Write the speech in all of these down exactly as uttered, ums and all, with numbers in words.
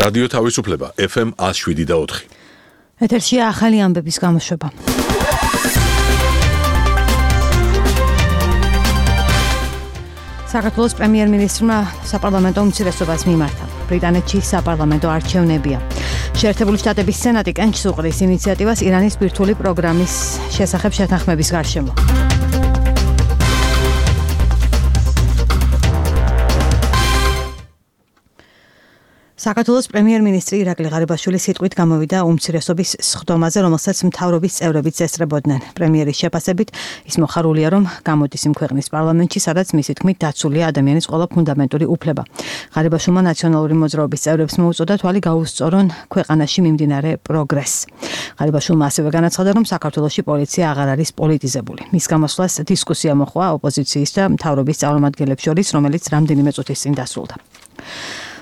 რადიო თავისუფლება ეფ ემ one oh seven point four. ეთერშია ახალი ამბების გამოშვება. საქართველოს პრემიერ-მინისტრმა საპარლამენტო უმცირესობას მიმართა. ბრიტანეთში საპარლამენტო არჩევნებია. შეერთებული შტატების სენატი კენჭს უყრის ინიციატივას ირანის ბირთვული პროგრამის შესახებ შეთანხმების გარშემო. საქართველოს პრემიერ-მინისტრი ირაკლი ღარიბაშვილი სიტყვით გამოვიდა უმცირესობის სხდომაზე, რომელსაც მთავრობის წევრებიც ესწრებოდნენ. პრემიერის შეფასებით ის მოხარულია, რომ გამოდის იმ ქვეყნის პარლამენტში, სადაც მისი თქმით დაცულია ადამიანის ყველა ფუნდამენტური უფლება. ღარიბაშვილმა ნაციონალური მოძრაობის წევრებს მოუწოდა თვალი გაუსწორონ ქვეყანაში მიმდინარე პროგრესს. ღარიბაშვილმა ასევე განაცხადა, რომ საქართველოში პოლიცია აღარ არის პოლიტიზებული. მის გამოსვლას დისკუსია მოჰყვა ოპოზიციის და მთავრობის წარმომადგენლებს შორის, რომელიც რამდენიმე წუთის წინ დასრულდა.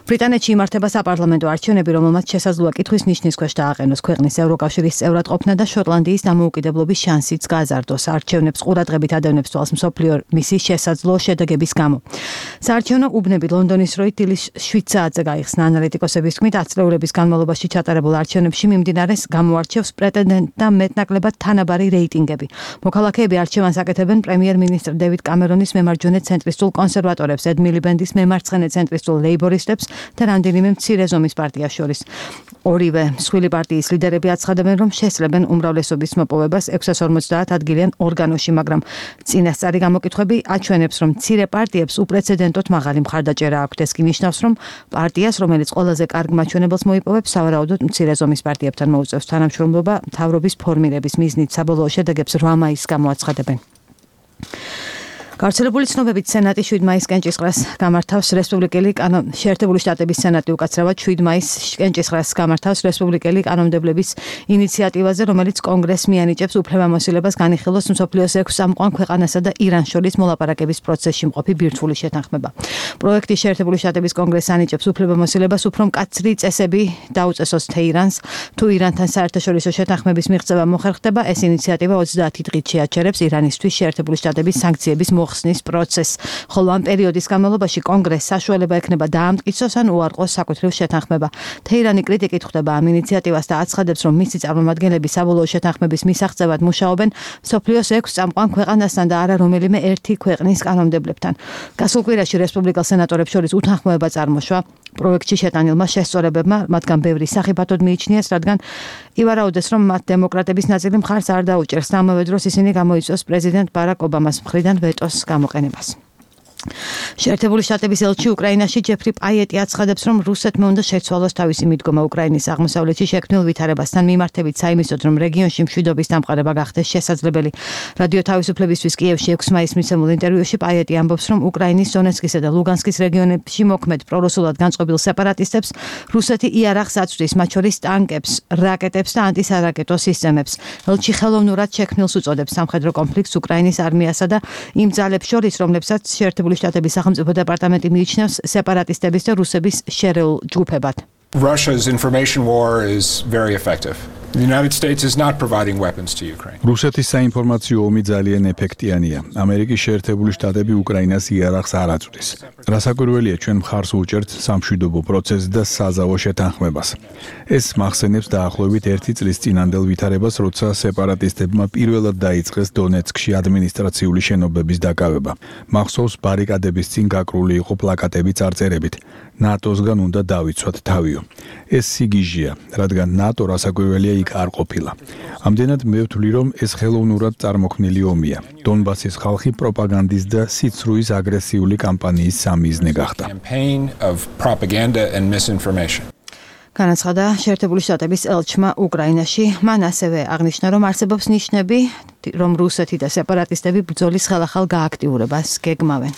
ბრიტანეთში იმართება საპარლამენტო არჩევნები, რომელმაც შესაძლოა კითხვის ნიშნის ქვეშ დააყენოს ქვეყნის ევროკავშირის წევრად ყოფნა და შოტლანდიის დამოუკიდებლობის შანსიც გააზარდოს. არჩევნებს ყურადღებით ადევნებს თვალს მსოფლიო მისის შესაძლო შედეგების გამო. საარჩევნო უბნები ლონდონის დროით დილის შვიდ საათზე გაიხსნა. ანალიტიკოსების თქმით, ათწლეულების განმავლობაში ჩატარებულ არჩევნებში მიმდინარეს გამოარჩევს პრეტენდენტთა მეტნაკლებად თანაბარი რეიტინგები. მოქალაქეები არჩევანს აკეთებენ პრემიერ-მინისტრ დევიდ კამერონის მემარჯვენე ცენტრისტულ კონსერვატორებს, ედ მილიბენდის მემარცხენე ცენტრისტულ ლეიბორისტებს და რამდენიმე მცირე ზომის პარტიას შორის. ორივე მსხვილი პარტიის ლიდერები აცხადებენ, რომ შესწრებენ უმრავლესობის მოპოვებას ექვსას ორმოცდაათ ადგილიან ორგანოში, მაგრამ წინასწარი გამოკითხვები აჩვენებს, რომ მცირე პარტიებს უპრეცედენტოდ მაღალი მხარდაჭერა აქვთ. ეს კი ნიშნავს, რომ პარტიას, რომელიც ყველაზე კარგ მაჩვენებელს მოიპოვებს, სავარაუდოდ მცირე ზომის პარტიებთან მოუწევს თანამშრომლობა მთავრობის ფორმირების მიზნით. საბოლოო შედეგებს რვა მაისს გამოაცხადებენ. გავრცელებული ცნობებით სენატი შვიდ მაისს კენჭისყრას გამართავს რესპუბლიკელი კანონ შეერთებული შტატების სენატი უკაცრავად შვიდ მაისს კენჭისყრას გამართავს რესპუბლიკელი კანონმდებლების ინიციატივაზე, რომელიც კონგრესს მიანიჭებს უფლებამოსილებას განიხილოს მსოფლიოს ექვს წამყვან ქვეყანასა და ირანს შორის მოლაპარაკების პროცესში მყოფი ბირთვული შეთანხმება. პროექტი შეერთებული შტატების კონგრესს ანიჭებს უფლებამოსილებას უფრო მკაცრი წესები დაუწესოს თეირანს, თუ ირანთან საერთაშორისო შეთანხმების მიღწევა მოხერხდება. ეს ინიციატივა ოცდაათი დღით შეაჩერებს ირანისთვის შეერთებული შტატების სანქციების მოხსნის პროცესს, ხოლო ამ პერიოდის განმავლობაში კონგრესს საშუალება ექნება დაამტკიცოს ან უარყოს საკუთრივ შეთანხმება. თეირანი კრიტიკით ხვდება ამ ინიციატივას და აცხადებს, რომ მისი წარმომადგენლები საბოლოო შეთანხმების მისაღწევად მუშაობენ მსოფლიოს ექვს წამყვან ქვეყანასთან და არა რომელიმე ერთი ქვეყნის კანონმდებლებთან. გასულ კვირაში რესპუბლიკელ სენატორებს შორის უთანხმოება წარმოშვა პროექტში შეტანილმა შესწორებებმა, მათგან ბევრი სახიფათოდ მიიჩნიეს, რადგან ივარაუდეს, რომ მათ დემოკრატების ნაწილი მხარს არ დაუჭერს. ამავე დროს ისინი გამოიწვევს პრეზიდენტ ბარაკ ობამას მხრიდან ვეტოს გამოყენებას. შეერთებული შტატების ელჩი უკრაინაში ჯეფრი პაიეტი აცხადებს, რომ რუსეთმა უნდა შეცვალოს თავისი მიდგომა უკრაინის აღმოსავლეთში შექმნილ ვითარებასთან მიმართებით, საიმისოდ, რომ რეგიონში მშვიდობის დამყარება გახდეს შესაძლებელი. რადიო თავისუფლებისთვის კიევში ექვსი მაისს მიცემულ ინტერვიუში პაიეტი ამბობს, რომ უკრაინის დონეცკისა და ლუგანსკის რეგიონებში მოქმედ პრორუსულად განწყობილ სეპარატისტებს რუსეთი იარაღს აწვდის, მათ შორის ტანკებს, რაკეტებს და ანტისარაკეტო სისტემებს. ელჩი ხელოვნურად შექმნილს უწოდებს სამხედრო კონფლიქტს უკრაინის არმიასა და იმ ძალებს შორის, რომლებსაც შეერთებული შტატების სახელმწიფო დეპარტამენტი მიიჩნევს სეპარატისტების და რუსების შერეულ ჯგუფებად. Russia's information war is very effective. The United States is not providing weapons to Ukraine. რუსეთის საინფორმაციო ომი ძალიან ეფექტიანია. ამერიკის შეერთებული შტატები უკრაინას იარაღს არ აწვდის. რასაკვირველია, ჩვენ მხარს უჭერთ სამშვიდობო პროცესს და საზავო შეთანხმებას. ეს მახსენებს დაახლოებით ერთი წლის წინანდელ ვითარებას, როცა სეპარატისტებმა პირველად დაიწყეს დონეცკში ადმინისტრაციული შენობების დაკავება. მახსოვს ბარიკადების წინ გაკრული იყო პლაკატები წარწერებით: ნატოსგან უნდა დავიცვათ თავიო. ეს სიგიჟეა, რადგან ნატო რასაკვირველია იქ არ ყოფილა. ამდენად მე ვთვლი, რომ ეს ხელოვნურად წარმოქმნილი ომია. დონბასის ხალხი პროპაგანდის და სიცრუის აგრესიული კამპანიის სამიზნე გახდა. განაცხადა შეერთებული შტატების ელჩმა უკრაინაში. მან ასევე აღნიშნა, რომ არსებობს ნიშნები, რომ რუსეთი და სეპარატისტები ბრძოლის ხელახალ გააქტიურებას გეგმავენ.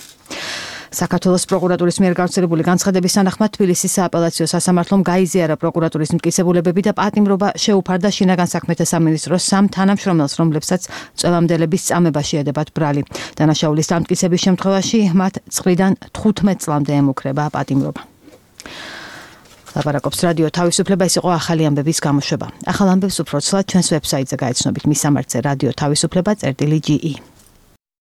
საქართველოს პროკურატურის მიერ გავრცელებული განცხადების თანახმად თბილისის სააპელაციო სასამართლომ გაიზიარა პროკურატურის მტკიცებულებები და პატიმრობა შეუფარდა შინაგან საქმეთა სამინისტროს სამ თანამშრომელს, რომლებსაც წვევამდელების წამებაში ედებათ ბრალი. დანაშაულის დამტკიცების შემთხვევაში მათ წლიდან თხუთმეტ წლამდე ემუქრება პატიმრობა. ლაპარაკობს რადიო თავისუფლება, ეს იყო ახალი ამბების გამოშვება. ახალ ამბებს უფრო ცლად ჩვენს ვებსაიტზე გაეცნობით, მის სამარცზე რადიო თავისუფლება წერტილი ჯი ი.